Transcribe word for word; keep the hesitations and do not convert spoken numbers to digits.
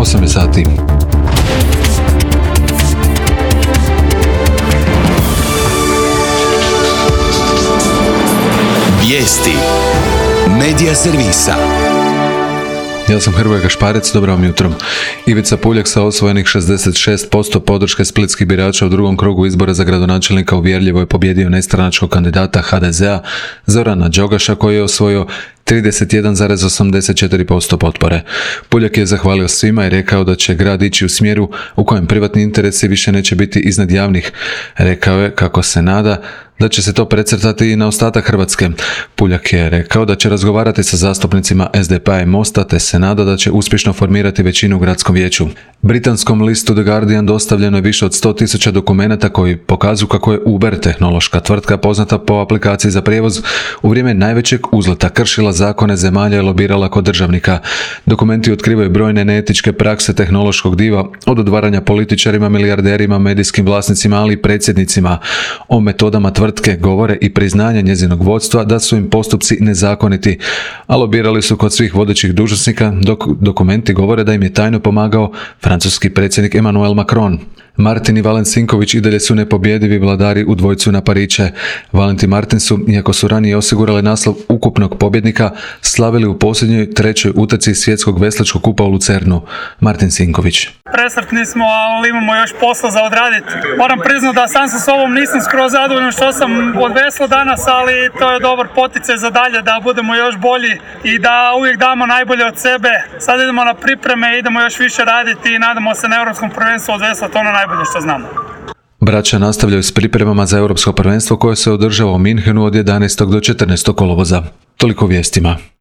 osam je sati. Vijesti Medija servisa. Ja sam Hrvoje Gašparec, dobro vam jutro. Ivica Puljak sa osvojenih šezdeset šest posto podrške splitskih birača u drugom krugu izbora za gradonačelnika uvjerljivo je pobjedio nestranačkog kandidata ha de zea Zorana Đogaša koji je osvojio trideset jedan zarez osamdeset četiri posto potpore. Puljak je zahvalio svima i rekao da će grad ići u smjeru u kojem privatni interesi više neće biti iznad javnih. Rekao je kako se nada da će se to precrtati i na ostatak Hrvatske. Puljak je rekao da će razgovarati sa zastupnicima es de pe a i Mosta te se nada da će uspješno formirati većinu u gradskom vijeću. Britanskom listu The Guardian dostavljeno je više od sto tisuća dokumenata koji pokazuju kako je Uber, tehnološka tvrtka poznata po aplikaciji za prijevoz, u vrijeme najvećeg uzleta kršila zakone zemalja i lobirala kod državnika. Dokumenti otkrivaju brojne neetičke prakse tehnološkog diva, od odvaranja političarima, milijarderima, medijskim vlasnicima, ali i predsjednicima. O metodama tvrtke govore i priznanja njezinog vodstva da su im postupci nezakoniti, a lobirali su kod svih vodećih dužnosnika, dok dokumenti govore da im je tajno pomagao francuski predsjednik Emmanuel Macron. Martin i Valen Sinković i dalje su nepobjedivi vladari u dvojcu na pariće. Valent i Martin su, iako su ranije osigurali naslov ukupnog pobjednika, slavili u posljednjoj trećoj utrci svjetskog veslačkog kupa u Lucernu. Martin Sinković. Presretni smo, ali imamo još posla za odraditi. Moram priznati da sam sa sobom nisam skroz zadovoljan što sam odvesla danas, ali to je dobar poticaj za dalje da budemo još bolji i da uvijek damo najbolje od sebe. Sad idemo na pripreme, idemo još više raditi i nadamo se na europskom prvenstvu odveslati ono najbolje što znamo. Braća nastavljaju s pripremama za europsko prvenstvo koje se održava u Minhenu od jedanaestog do četrnaestog kolovoza. Toliko vijestima.